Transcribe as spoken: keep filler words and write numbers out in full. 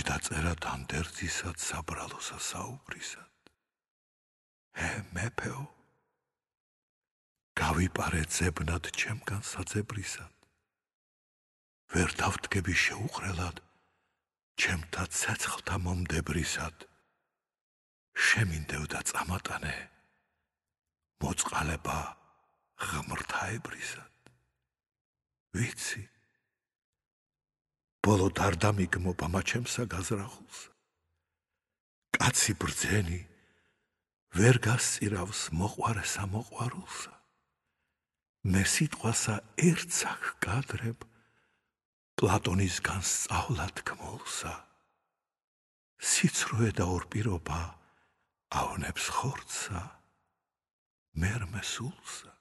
დაწერა დანდერძისად საბრალოსა საუბრისად. ჰე მეფეო, გავიპარე ძებნად ჩემგან საძებრისად. ვერ დავდგები შეუყრელად ჩემთა ცეცხლთა მომდებრისად. შემინდევდა წამატანე მოწყალება ღმრთაებრისად. ვიცი, ბოლო დარდამიგმობა მაჩემსა გაზრახულსა. კაცი ბრძენი ვერ გასწირავს მოყვარესა მოყვარულსა. მე სიტყვასა ერთსა ჰგადრებ პლატონისგან სწავლა თქმულსა. სიცრუე და ორპირობა ავნებს ხორცსა მერმე სულსა.